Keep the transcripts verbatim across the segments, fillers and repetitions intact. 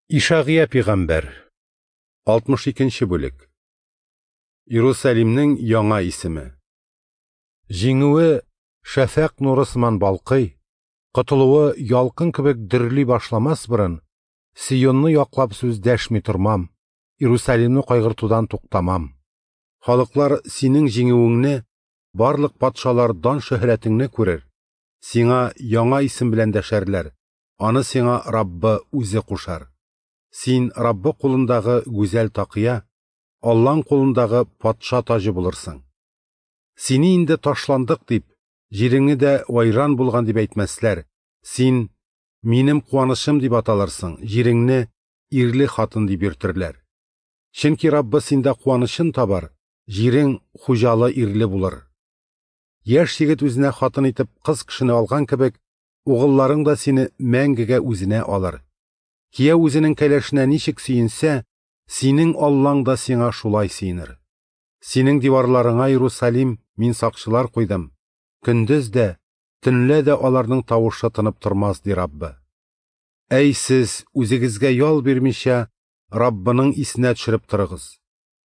Ишагыя пигамбәр, алтмыш икенче бүлек. Иерусалимнең яңа исеме. Җиңүе шәфәкъ нуры сыман балкый, котылуы ялкын кебек дөрли башламас борын, Сионны яклап сүз дәшми тормам, Иерусалимны кайгыртудан туктамам. Халыклар синең җиңүеңне, барлык патшалар дан шөһрәтеңне күрер, сиңа яңа исем белән дәшәрләр, аны сиңа Раббы үзе кушар. Син Раббы кулындагы гүзәл такыя, Аллаң кулындагы патша таҗы булырсың. Сине инде ташландык дип, җиреңне дә вайран булган дип әйтмәсләр. Син минем куанычым дип аталырсың, җиреңне ирле хатын дип йөртерләр. Чөнки Раббы синдә куанычын табар, җирең хуҗалы ирле булыр. Яшь егет үзенә хатын итеп кыз кешене алган кебек, угылларың да сине мәңгегә үзенә алыр. Кияү үзенең кәләшенә ничек сөенсә, синең Аллаң да сиңа шулай сөенер. Синең диварларыңа, Иерусалим, мин сакчылар куйдым. Көндез дә, төнлә дә аларның тавышы тынып тормас, ди Раббы. Әй сез, үзегезгә ял бирмичә, Раббының исенә төшереп торыгыз.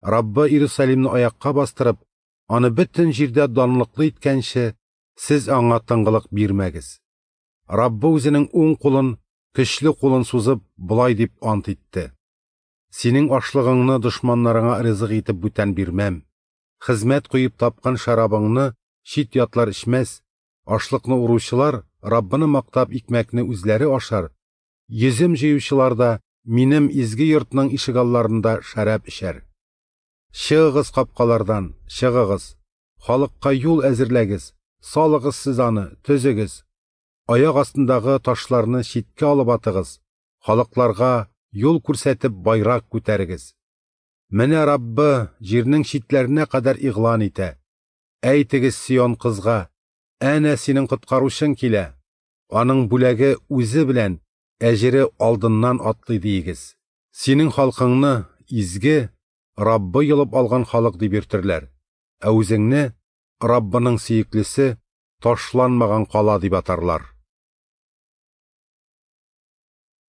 Раббы Иерусалимны аякка бастырып, аны бөтен җирдә данлыклы иткәнче, сез аңа тынгылык бирмәгез. Раббы үзенең уң кулын, көчле кулын сузып, болай дип ант итте: Синең ашлыгыңны дошманнарыңа ризык итеп бүтән бирмәм. Хезмәт куеп тапкан шәрабыңны чит ятлар эчмәс. Ашлыкны уручылар Раббыны мактап икмәкне үзләре ашар. Йөзем җыючылар да минем изге йортның ишегалларында шәраб эчәр. Чыгыгыз капкалардан, чыгыгыз. Халыкка юл әзерләгез, салыгыз сез аны, төзегез. Аяк астындагы ташларны читкә алып атыгыз, халыкларга юл күрсәтеп байрак күтәрегез. Менә Раббы җирнең читләренә кадәр игълан итә. Әйтегез Сион кызга, әнә синең коткаручың килә. Аның бүләге үзе белән, әҗере алдыннан атлый диегез. Синең халкыңны изге, Раббы йолып алган халык дип йөртерләр. Ә үзеңне Раббының сөеклесе, ташланмаган кала дип атарлар.